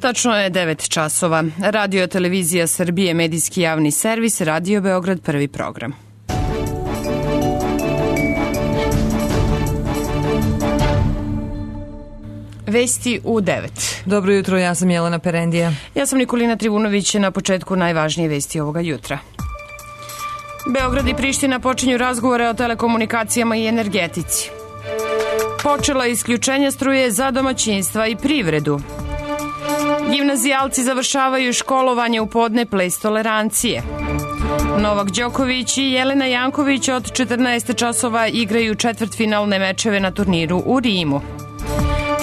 Tačno je 9 časova. Radio Televizija Srbije, medijski javni servis, Radio Beograd, prvi program. Vesti u 9. Dobro jutro, ja sam Jelena Perendija. Ja sam Nikolina Trivunović, na početku najvažnije vesti ovoga jutra. Beograd i Priština počinju razgovore o telekomunikacijama i energetici. Počela isključenje struje za domaćinstva i privredu. Gimnazijalci završavaju školovanje u podne ples tolerancije. Novak Đoković i Jelena Janković od 14 časova igraju četvrtfinalne mečeve na turniru u Rimu.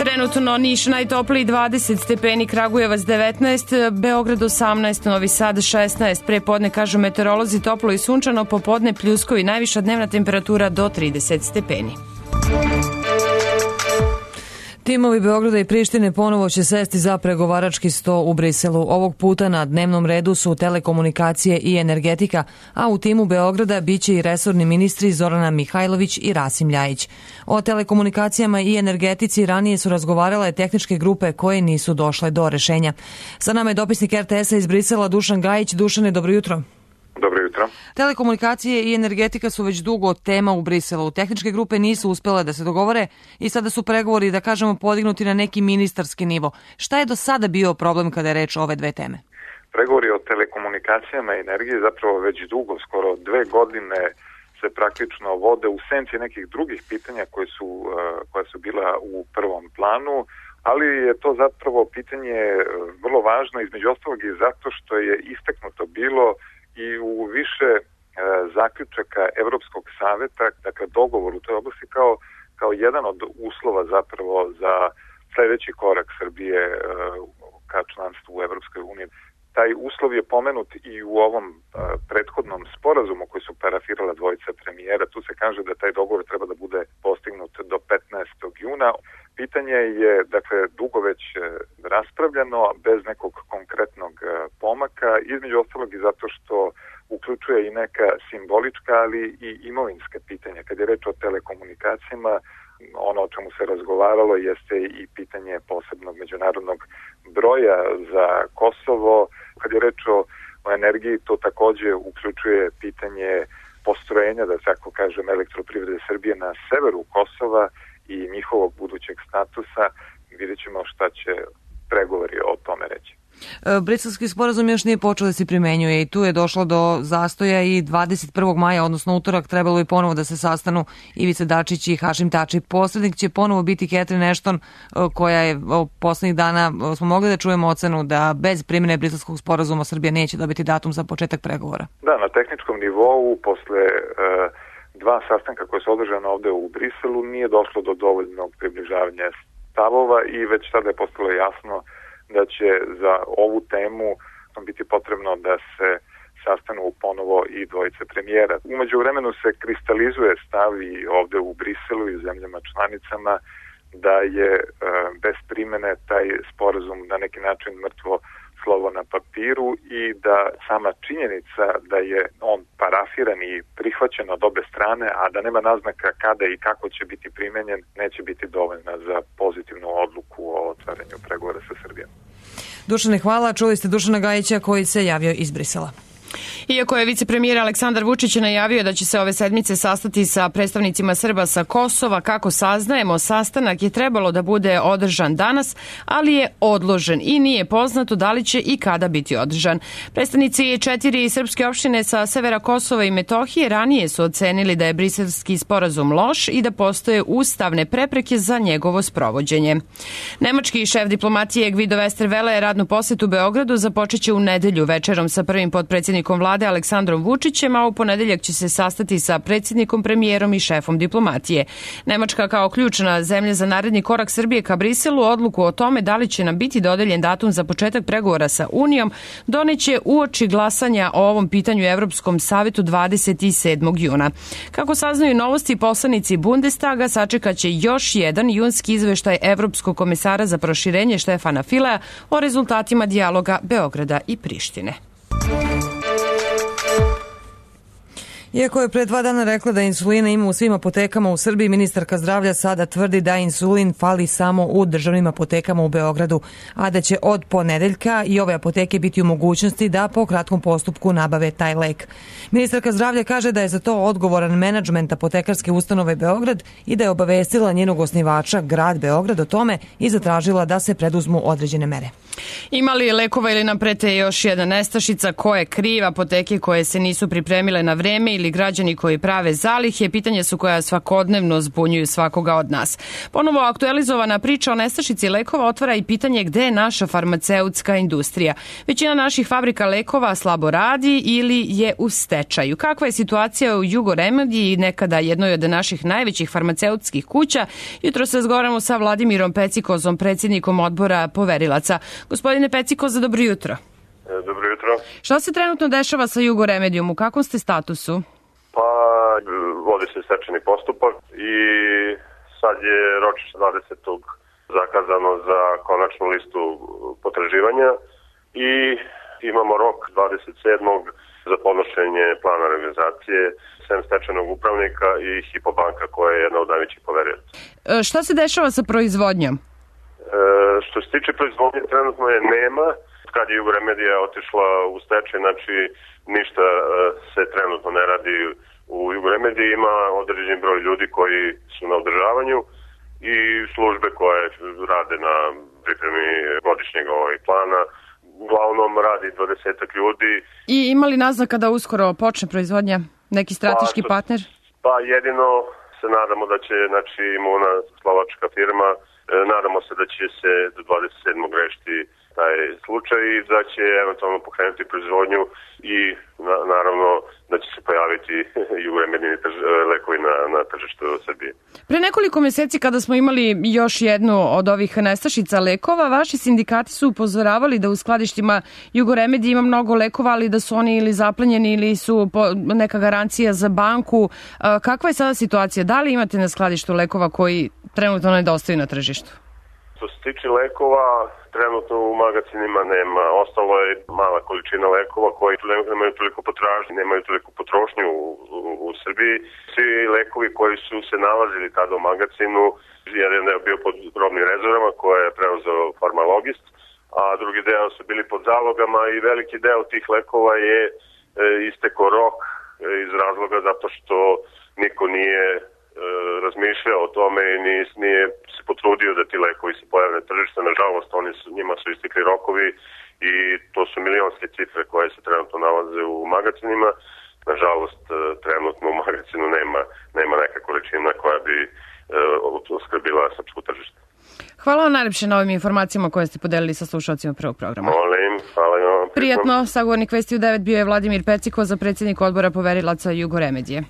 Trenutno Niš najtopliji 20 stepeni, Kragujevac 19, Beograd 18, Novi Sad 16. Pre podne, kažu meteorolozi, toplo i sunčano, popodne pljuskovi, najviša dnevna temperatura do 30 stepeni. Timovi Beograda i Prištine ponovo će sesti za pregovarački sto u Briselu. Ovog puta na dnevnom redu su telekomunikacije i energetika, a u timu Beograda biće i resorni ministri Zorana Mihajlović i Rasim Ljajić. O telekomunikacijama i energetici ranije su razgovarale tehničke grupe koje nisu došle do rešenja. Sa nama je dopisnik RTS-a iz Brisela Dušan Gajić. Dušane, dobro jutro. Dobro jutro. Telekomunikacije i energetika su već dugo tema u Briselu. Tehničke grupe nisu uspjele da se dogovore i sada su pregovori, da kažemo, podignuti na neki ministarski nivo. Šta je do sada bio problem kada je reč o ove dve teme? Pregovori o telekomunikacijama i energiji zapravo već dugo, skoro 2 godine se praktično vode u senci nekih drugih pitanja koja su bila u prvom planu, ali je to zapravo pitanje vrlo važno, između ostalog i zato što je istaknuto bilo i u više zaključaka Evropskog saveta, dakle dogovor u toj oblasti kao jedan od uslova zapravo za sledeći korak Srbije ka članstvu u Evropskoj uniji. Taj uslov je pomenut i u ovom prethodnom sporazumu koji su parafirala dvojica premijera. Tu se kaže da taj dogovor treba da bude postignut do 15. juna. Pitanje je, dakle, dugo već raspravljeno, bez nekog konkretnog pomaka, između ostalog i zato što uključuje i neka simbolička, ali i imovinska pitanja. Kad je reč o telekomunikacijama, ono o čemu se razgovaralo jeste i pitanje posebnog međunarodnog broja za Kosovo. Kad je reč o energiji, to takođe uključuje pitanje postrojenja, da tako kažem, elektroprivrede Srbije na severu Kosova i njihovog budućeg statusa. Vidjet ćemo šta će pregovori o tome reći. Briselski sporazum još nije počeo da se primenjuje i tu je došlo do zastoja i 21. maja, odnosno utorak, trebalo je ponovo da se sastanu Ivica Dačić i Hašim Tači. Posrednik će ponovo biti Catherine Ashton, koja je poslednjih dana, smo mogli da čujemo ocenu da bez primjene Briselskog sporazuma Srbija neće dobiti datum za početak pregovora. Da, na tehničkom nivou, posle 2 sastanka koje su održane ovde u Briselu, nije došlo do dovoljnog približavanja stavova i već sada je postalo jasno da će za ovu temu biti potrebno da se sastanu ponovo i dvojice premijera. Umeđu vremenu se kristalizuje stav i ovde u Briselu i zemljama članicama da je bez primene taj sporazum na neki način mrtvo slovo na papiru i da sama činjenica da je on parafiran i prihvaćen od obe strane, a da nema naznaka kada i kako će biti primenjen, neće biti dovoljna za pozitivnu odluku o otvaranju pregovora sa Srbijom. Dušane, hvala. Čuli ste Dušana Gajića koji se javio iz Brisela. Iako je vicepremijer Aleksandar Vučić najavio da će se ove sedmice sastati sa predstavnicima Srba sa Kosova, kako saznajemo, sastanak je trebalo da bude održan danas, ali je odložen i nije poznato da li će i kada biti održan. Predstavnici 4 srpske opštine sa severa Kosova i Metohije ranije su ocenili da je briselski sporazum loš i da postoje ustavne prepreke za njegovo sprovođenje. Nemački šef diplomatije Guido Westerwelle radnu posetu Beogradu započeće u nedelju večerom sa prvim potpredsjednikom vlade Aleksandrom Vučićem, a u ponedeljak će se sastati sa predsjednikom, premijerom i šefom diplomatije. Nemačka kao ključna zemlja za naredni korak Srbije ka Briselu odluku o tome da li će nam biti dodeljen datum za početak pregovora sa Unijom doneće uoči glasanja o ovom pitanju Evropskom savetu 27. juna. Kako saznaju novosti, poslanici Bundestaga sačekaće još jedan junski izveštaj Evropskog komesara za proširenje Štefana Filea o rezultatima dijaloga Beograda i Prištine. Iako je pre 2 dana rekla da insulina ima u svim apotekama u Srbiji, ministarka zdravlja sada tvrdi da insulin fali samo u državnim apotekama u Beogradu, a da će od ponedeljka i ove apoteke biti u mogućnosti da po kratkom postupku nabave taj lek. Ministarka zdravlja kaže da je za to odgovoran menadžment apotekarske ustanove Beograd i da je obavestila njenog osnivača, grad Beograd, o tome i zatražila da se preduzmu određene mere. Ima li lekova ili nam prete još jedna nestašica? Ko je kriv? Apoteke koje se nisu pripremile na vreme ili građani koji prave zalihe? Pitanje su koja svakodnevno zbunjuju svakoga od nas. Ponovo aktualizovana priča o nestašici lekova otvara i pitanje gde je naša farmaceutska industrija. Većina naših fabrika lekova slabo radi ili je u stečaju. Kakva je situacija u Jugoremediji, nekada jednoj od naših najvećih farmaceutskih kuća? Jutro se razgovaramo sa Vladimirom Pecikozom, predsjednikom odbora poverilaca. Gospodine Pecikoza, dobro jutro. Dobro jutro. Šta se trenutno dešava sa Jugoremedijom? U kakvom ste statusu? Pa, vodi se stečajni postupak i sad je ročište 20. zakazano za konačnu listu potraživanja i imamo rok 27. za podnošenje plana realizacije sem stečajnog upravnika i Hipobanka koja je jedna od najvećih poverilaca. Šta se dešava sa proizvodnjom? Što se tiče proizvodnje, trenutno je nema. Kad je Jugoremedija otišla u stečaj, znači ništa se trenutno ne radi u Jugoremediji. Ima određen broj ljudi koji su na održavanju i službe koje rade na pripremi godišnjeg plana. Uglavnom radi 20 ljudi. I ima li naznaka da uskoro počne proizvodnja? Neki strateški partner? Pa jedino se nadamo da će, znači, Imuna, slovačka firma, nadamo se da će se do 27. rešiti taj slučaj i da će eventualno pokrenuti proizvodnju i naravno da će se pojaviti Jugoremedijini lekovi na tržištu Srbije. Pre nekoliko meseci kada smo imali još jednu od ovih nestašica lekova, vaši sindikati su upozoravali da u skladištima Jugoremedije ima mnogo lekova, ali da su oni ili zaplenjeni ili su neka garancija za banku. Kakva je sada situacija? Da li imate na skladištu lekova koji trenutno nedostaju na tržištu? Što se tiče lekova, trenutno u magazinima nema. Ostalo je mala količina lekova koji nemaju toliko potražnje, nemaju toliko potrošnju u Srbiji. Svi lekovi koji su se nalazili tada u magazinu, jedan je bio pod robnim rezervama koje je preuzeo farmalogist, a drugi deo su bili pod zalogama i veliki deo tih lekova je isteko rok iz razloga zato što niko nije razmišljao o tome i nije se potrudio da ti lekovi se pojave na tržište. Nažalost, njima su istekli rokovi i to su milionske cifre koje se trenutno nalaze u magazinima. Nažalost, trenutno u magazinu nema neka količina koja bi oskrbila srpsko tržište. Hvala vam najlepše na ovim informacijama koje ste podelili sa slušalcima prvog programa. Molim, hvala vam. Prijatno, sagovornik Vesti u 9 bio je Vladimir Pecikoza, predsjednik odbora poverilaca Jugoremedije.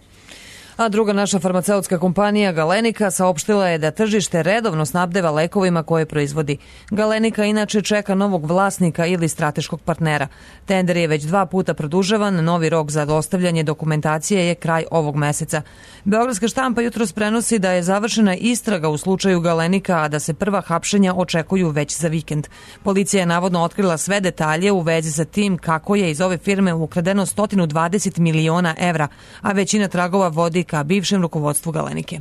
A druga naša farmaceutska kompanija Galenika saopštila je da tržište redovno snabdeva lekovima koje proizvodi. Galenika inače čeka novog vlasnika ili strateškog partnera. Tender je već 2 puta produžavan, novi rok za dostavljanje dokumentacije je kraj ovog meseca. Beogradska štampa jutros prenosi da je završena istraga u slučaju Galenika, a da se prva hapšenja očekuju već za vikend. Policija je navodno otkrila sve detalje u vezi sa tim kako je iz ove firme ukradeno 120 miliona evra, a većina tragova vodi ka bivšem rukovodstvu Galenike.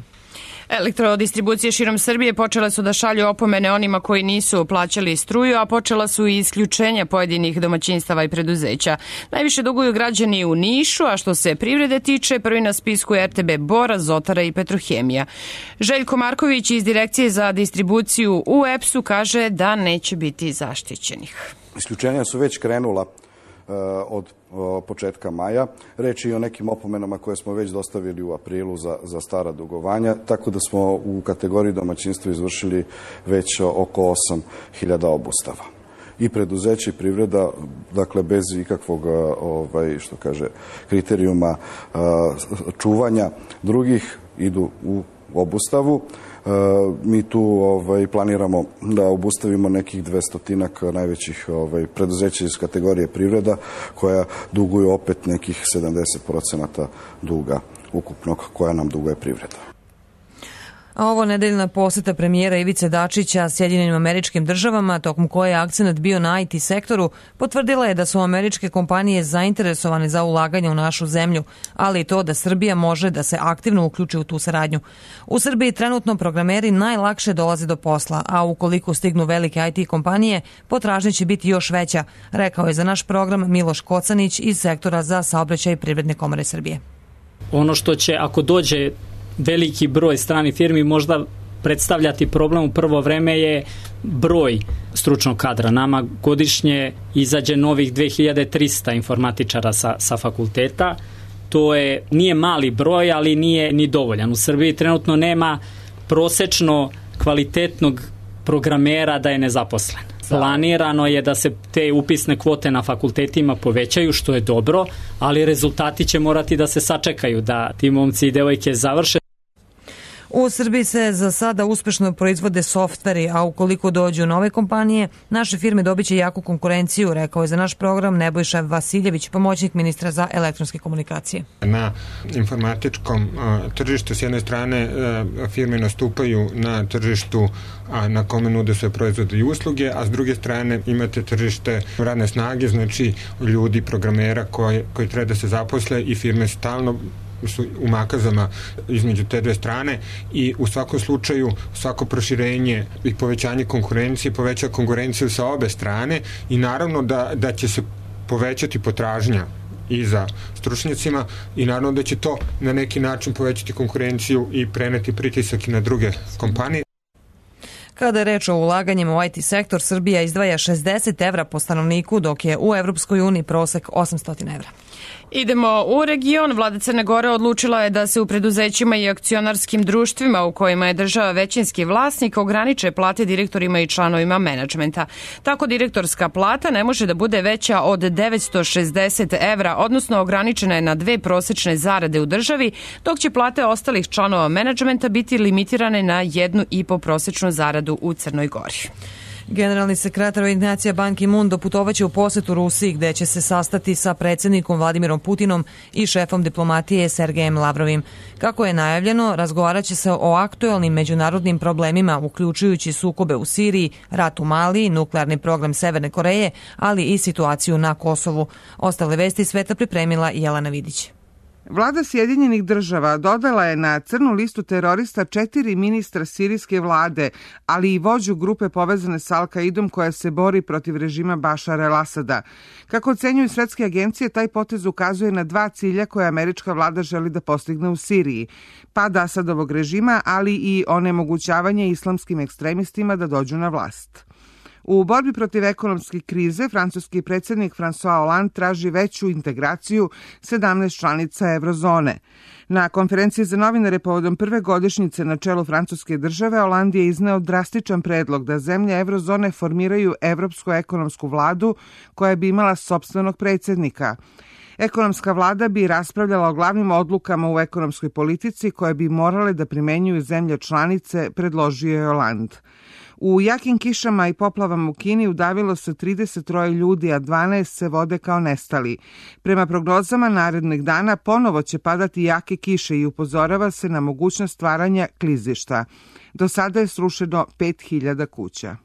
Elektrodistribucije širom Srbije počele su da šalju opomene onima koji nisu plaćali struju, a počela su i isključenja pojedinih domaćinstava i preduzeća. Najviše duguju građani u Nišu, a što se privrede tiče, prvi na spisku je RTB Bor, Azotara i Petrohemija. Željko Marković iz Direkcije za distribuciju u EPS-u kaže da neće biti zaštićenih. Isključenja su već krenula od početka maja. Reč je i o nekim opomenama koje smo već dostavili u aprilu za stara dugovanja, tako da smo u kategoriji domaćinstva izvršili već oko 8.000 obustava. I preduzeće i privreda, dakle bez ikakvog kriterijuma čuvanja drugih, idu u obustavu. Mi tu planiramo da obustavimo nekih 200 najvećih preduzeća iz kategorije privreda koja duguju opet nekih 70% duga ukupnog koja nam duguje privreda. A ovo nedeljna poseta premijera Ivice Dačića Sjedinjenim Američkim Državama, tokom koje je akcenat bio na IT sektoru, potvrdila je da su američke kompanije zainteresovane za ulaganje u našu zemlju, ali i to da Srbija može da se aktivno uključi u tu saradnju. U Srbiji trenutno programeri najlakše dolaze do posla, a ukoliko stignu velike IT kompanije, potražnja će biti još veća, rekao je za naš program Miloš Kocanić iz sektora za saobraćaj Privredne komore Srbije. Ono što će, ako dođe veliki broj stranih firmi, možda predstavljati problem u prvo vreme je broj stručnog kadra. Nama godišnje izađe novih 2300 informatičara sa fakulteta. To nije mali broj, ali nije ni dovoljan. U Srbiji trenutno nema prosečno kvalitetnog programera da je nezaposlen. Planirano je da se te upisne kvote na fakultetima povećaju, što je dobro, ali rezultati će morati da se sačekaju, da ti momci i devojke završe. U Srbiji se za sada uspešno proizvode softveri, a ukoliko dođu nove kompanije, naše firme dobiće jaku konkurenciju, rekao je za naš program Nebojša Vasiljević, pomoćnik ministra za elektronske komunikacije. Na informatičkom tržištu s jedne strane firme nastupaju na tržištu na kome nude sve proizvode i usluge, a s druge strane imate tržište radne snage, znači ljudi, programera koji treba da se zaposle i firme stalno su u makazama između te dve strane i u svakom slučaju svako proširenje i povećanje konkurencije poveća konkurenciju sa obe strane i naravno da će se povećati potražnja i za stručnjacima i naravno da će to na neki način povećati konkurenciju i preneti pritisak i na druge kompanije. Kada je reč o ulaganjima u IT sektor, Srbija izdvaja 60 evra po stanovniku, dok je u Evropskoj uniji prosek 800 evra. Idemo u region. Vlada Crne Gore odlučila je da se u preduzećima i akcionarskim društvima u kojima je država većinski vlasnik ograniče plate direktorima i članovima menadžmenta. Tako direktorska plata ne može da bude veća od 960 evra, odnosno ograničena je na 2 prosečne zarade u državi, dok će plate ostalih članova menadžmenta biti limitirane na 1,5 prosečnu zaradu u Crnoj Gori. Generalni sekretar Ujedinjenih nacija Ban Ki-moon doputovaće u posetu Rusiji, gde će se sastati sa predsjednikom Vladimirom Putinom i šefom diplomatije Sergejem Lavrovim. Kako je najavljeno, razgovaraće se o aktuelnim međunarodnim problemima, uključujući sukobe u Siriji, rat u Maliji, nuklearni program Severne Koreje, ali i situaciju na Kosovu. Ostale vesti sveta pripremila Jelena Vidić. Vlada Sjedinjenih država dodala je na crnu listu terorista 4 ministra sirijske vlade, ali i vođu grupe povezane sa Al-Kaidom koja se bori protiv režima Bašara el-Asada. Kako ocenjuju svetske agencije, taj potez ukazuje na 2 cilja koje američka vlada želi da postigne u Siriji. Pad Asadovog režima, ali i onemogućavanje islamskim ekstremistima da dođu na vlast. U borbi protiv ekonomske krize, francuski predsjednik François Hollande traži veću integraciju 17 članica eurozone. Na konferenciji za novinare povodom prve godišnjice na čelu francuske države, Hollande je izneo drastičan predlog da zemlje eurozone formiraju Evropsku ekonomsku vladu koja bi imala sopstvenog predsjednika. Ekonomska vlada bi raspravljala o glavnim odlukama u ekonomskoj politici koje bi morale da primenjuju zemlje članice, predložio je Hollande. U jakim kišama i poplavama u Kini udavilo se 33 ljudi, a 12 se vode kao nestali. Prema prognozama narednih dana ponovo će padati jake kiše i upozorava se na mogućnost stvaranja klizišta. Do sada je srušeno 5000 kuća.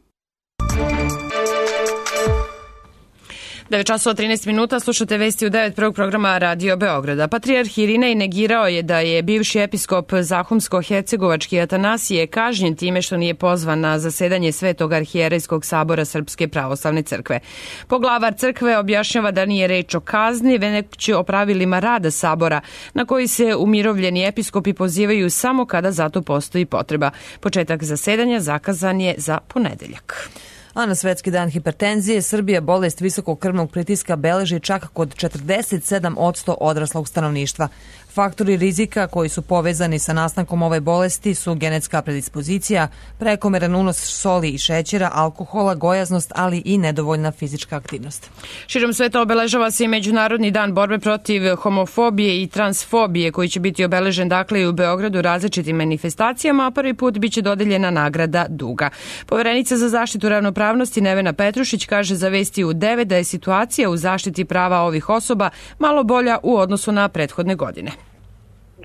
9 časova 13 minuta, slušate vesti u 9 prvog programa Radio Beograda. Patrijarh Irinej negirao je da je bivši episkop Zahumsko-Hercegovački Atanasije kažnjen time što nije pozvan na zasedanje Svetog arhijerejskog sabora Srpske pravoslavne crkve. Poglavar crkve objašnjava da nije reč o kazni, već o pravilima rada sabora, na koji se umirovljeni episkopi pozivaju samo kada za to postoji potreba. Početak zasedanja zakazan je za ponedeljak. A na Svetski dan hipertenzije Srbija bolest visokog krvnog pritiska beleži čak kod 47% odraslog stanovništva. Faktori rizika koji su povezani sa nastankom ove bolesti su genetska predispozicija, prekomeran unos soli i šećera, alkohola, gojaznost, ali i nedovoljna fizička aktivnost. Širom sveta obeležava se i Međunarodni dan borbe protiv homofobije i transfobije, koji će biti obeležen dakle i u Beogradu različitim manifestacijama, a prvi put biće dodeljena nagrada Duga. Poverenica za zaštitu ravnopravnosti Nevena Petrušić kaže za vesti u 9 da je situacija u zaštiti prava ovih osoba malo bolja u odnosu na prethodne godine.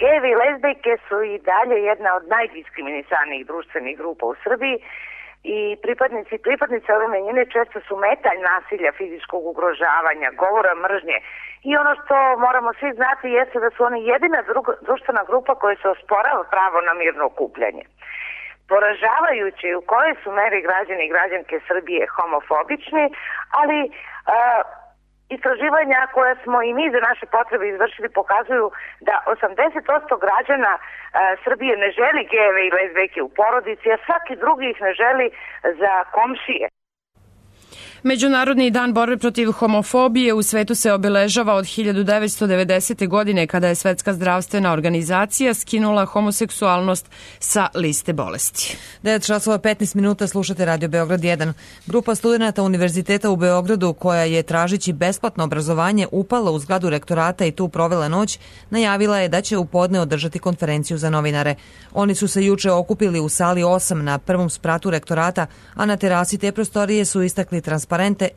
Gejevi i lezbijke su i dalje jedna od najdiskriminisanijih društvenih grupa u Srbiji i pripadnice ove manjine često su metalj nasilja, fizičkog ugrožavanja, govora mržnje. I ono što moramo svi znati jeste da su oni jedina društvena grupa koja se osporava pravo na mirno okupljanje. Poražavajuće u kojoj su meri građani i građanke Srbije homofobični, ali istraživanja koja smo i mi za naše potrebe izvršili pokazuju da 80% građana Srbije ne želi gejeve i lezbijke u porodici, a svaki drugi ih ne želi za komšije. Međunarodni dan borbe protiv homofobije u svetu se obeležava od 1990. godine kada je Svetska zdravstvena organizacija skinula homoseksualnost sa liste bolesti. 9 časova 15 minuta slušate Radio Beograd 1. Grupa studenata Univerziteta u Beogradu koja je tražići besplatno obrazovanje upala u zgradu rektorata i tu provela noć, najavila je da će u podne održati konferenciju za novinare. Oni su se juče okupili u sali 8 na prvom spratu rektorata, a na terasi te prostorije su istakli transparente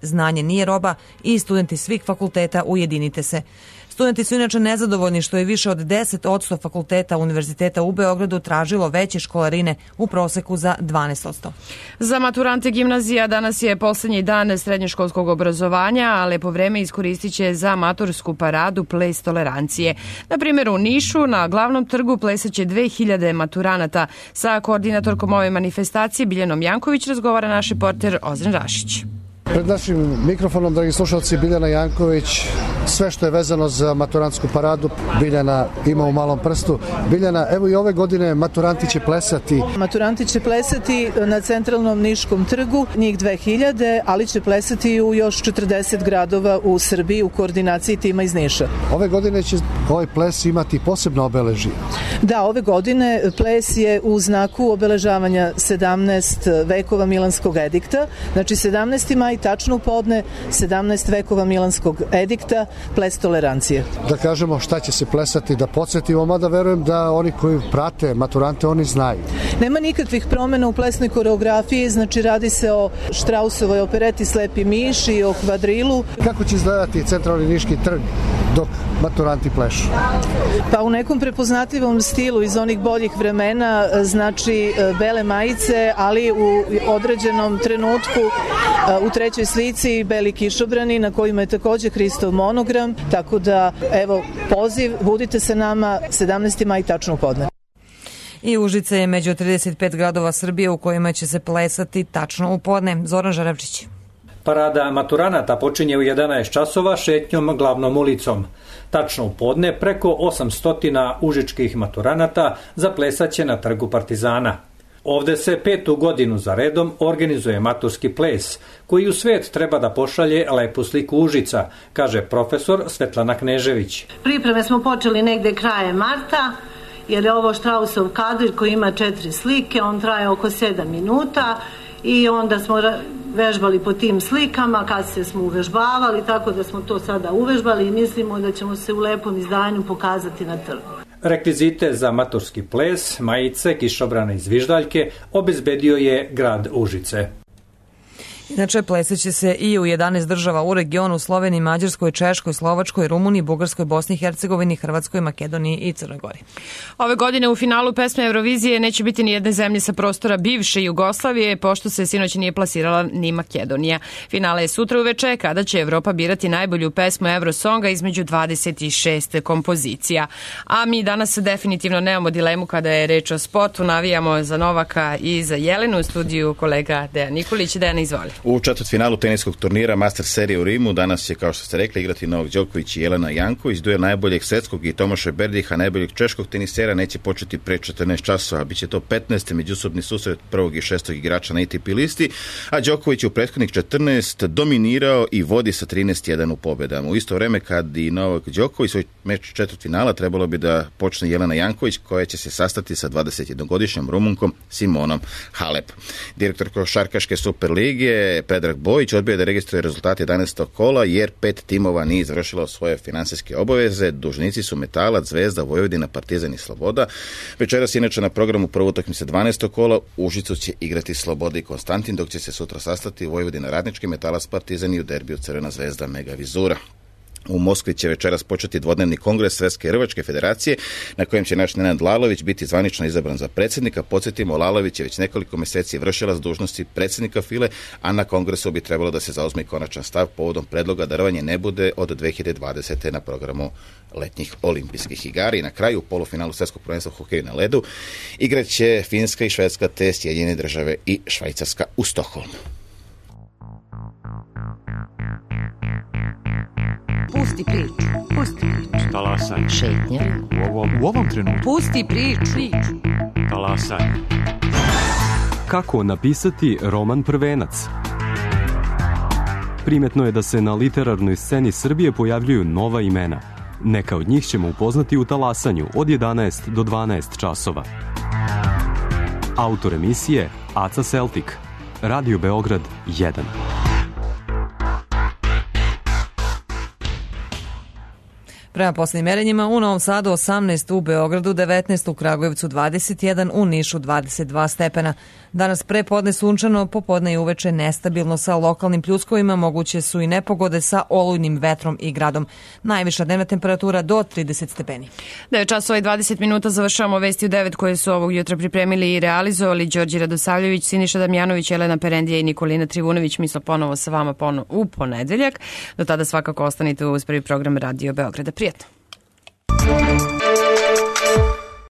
"Znanje nije roba" i studenti svih fakulteta ujedinite se. Studenti su inače nezadovoljni što je više od 10% fakulteta Univerziteta u Beogradu tražilo veće školarine u proseku za 12%. Za maturante gimnazija danas je poslednji dan srednjoškolskog obrazovanja, a lepo vreme iskoristit će za matursku paradu Ples tolerancije. Na primjer u Nišu na glavnom trgu plesaće 2000 maturanata. Sa koordinatorkom ove manifestacije Biljanom Janković razgovara naš reporter Ozren Rašić. Pred našim mikrofonom, dragi slušalci, Biljana Janković, sve što je vezano za maturantsku paradu Biljana ima u malom prstu. Biljana, evo i ove godine maturanti će plesati. Maturanti će plesati na centralnom Niškom trgu, njih 2000, ali će plesati u još 40 gradova u Srbiji u koordinaciji tima iz Niša. Ove godine će ovaj ples imati posebno obeležje. Da, ove godine ples je u znaku obeležavanja 17 vekova Milanskog edikta, znači 17. maj tačno u podne, 17 vekova Milanskog edikta, ples tolerancije. Da kažemo šta će se plesati, da podsjetimo, mada verujem da oni koji prate maturante, oni znaju. Nema nikakvih promjena u plesnoj koreografiji, znači radi se o Štrausovoj opereti Slepi miš i o kvadrilu. Kako će izgledati centralni Niški trg dok maturanti plešu? Pa u nekom prepoznatljivom stilu iz onih boljih vremena, znači bele majice, ali u određenom trenutku u trećoj slici beli kišobrani na kojima je također Hristov monogram, tako da evo poziv, budite se nama 17. maj tačno u podne. I Užice je među 35 gradova Srbije u kojima će se plesati tačno u podne. Zoran Žarevčić. Parada maturanata počinje u 11 časova šetnjom glavnom ulicom. Tačno u podne preko 800 užičkih maturanata zaplesaće na trgu Partizana. Ovde se 5. godinu za redom organizuje maturski ples, koji u svet treba da pošalje lepu sliku Užica, kaže profesor Svetlana Knežević. Pripreme smo počeli negde krajem marta, jer je ovo Štrausov kadr koji ima 4 slike, on traje oko 7 minuta i onda smo vežbali po tim slikama, kasnije smo uvežbavali, tako da smo to sada uvežbali i mislimo da ćemo se u lepom izdanju pokazati na trgu. Rekvizite za maturski ples, majice, kišobrane i zviždaljke obezbedio je grad Užice. Inače, plesaće se i u 11 država u regionu: Sloveniji, Mađarskoj, Češkoj, Slovačkoj, Rumuniji, Bugarskoj, Bosni i Hercegovini, Hrvatskoj, Makedoniji i Crnoj Gori. Ove godine u finalu pesme Eurovizije neće biti ni jedne zemlje sa prostora bivše Jugoslavije, pošto se sinoć nije plasirala ni Makedonija. Finale je sutra uveče, kada će Evropa birati najbolju pesmu Eurosonga između 26 kompozicija. A mi danas definitivno nemamo dilemu kada je reč o sportu, navijamo za Novaka i za Jelenu. U studiju kolega Dejan Nikolić. Dejan, izvoli. U četvrtfinalu teniskog turnira Master serije u Rimu danas će, kao što ste rekli, igrati Novak Đoković i Jelena Janković. Duel najboljeg svetskog i Tomaša Berdiha, najboljeg češkog tenisera, neće početi pre 14 časova. Biće to 15. međusobni susret prvog i šestog igrača na ATP listi, a Đoković je u prethodnih 14 dominirao i vodi sa 13-1 u pobedama. U isto vreme kad i Novak Đoković svoj meč četvrtfinala trebalo bi da počne Jelena Janković, koja će se sastati sa 21-godišnjom Rumunkom Simonom Halep. Direktor košarkaške Superlige Predrag Bojić odbio da registruje rezultate 11. kola jer 5 timova nije završilo svoje finansijske obaveze. Dužnici su Metalac, Zvezda, Vojvodina, Partizan i Sloboda. Večeras inače na programu prva utakmica 12. kola. U Užicu će igrati Sloboda i Konstantin, dok će se sutra sastati Vojvodina Radnički, Metalac, Partizan i u derbiju Crvena Zvezda Mega Vizura. U Moskvi će večeras početi dvodnevni kongres Svetske rvačke federacije na kojem će naš Nenad Lalović biti zvanično izabran za predsjednika. Podsjetimo, Lalović je već nekoliko mjeseci vršilac dužnosti predsjednika FILE, a na kongresu bi trebalo da se zauzme konačan stav povodom predloga da rvanje ne bude od 2020. na programu letnjih olimpijskih igara. I na kraju u polufinalu svjetskog prvenstva u hokeju na ledu igraće Finska i Švedska te Sjedinjene Države i Švajcarska u Stokholmu. Pusti priču. Talasaj. Šetnja. U ovom trenutku. Pusti priču. Talasaj. Kako napisati roman Prvenac? Primetno je da se na literarnoj sceni Srbije pojavljuju nova imena. Neka od njih ćemo upoznati u Talasanju od 11 do 12 časova. Autor emisije Aca Celtic. Radio Beograd 1. Prema posljednjim merenjima u Novom Sadu 18, u Beogradu 19, u Kragujevcu 21, u Nišu 22 stepena. Danas prepodne sunčano, popodne i uveče nestabilno sa lokalnim pljuskovima, moguće su i nepogode sa olujnim vetrom i gradom. Najviša dnevna temperatura do 30 stepeni. 9 časova i 20 minuta završavamo vesti u 9 koje su ovog jutra pripremili i realizovali Đorđe Radosavljević, Siniša Damjanović, Elena Perendija i Nikolina Trivunović. Mi smo ponovo sa vama u ponedeljak. Do tada svakako ostanite uz prvi program Radio Beograda. Prijetno.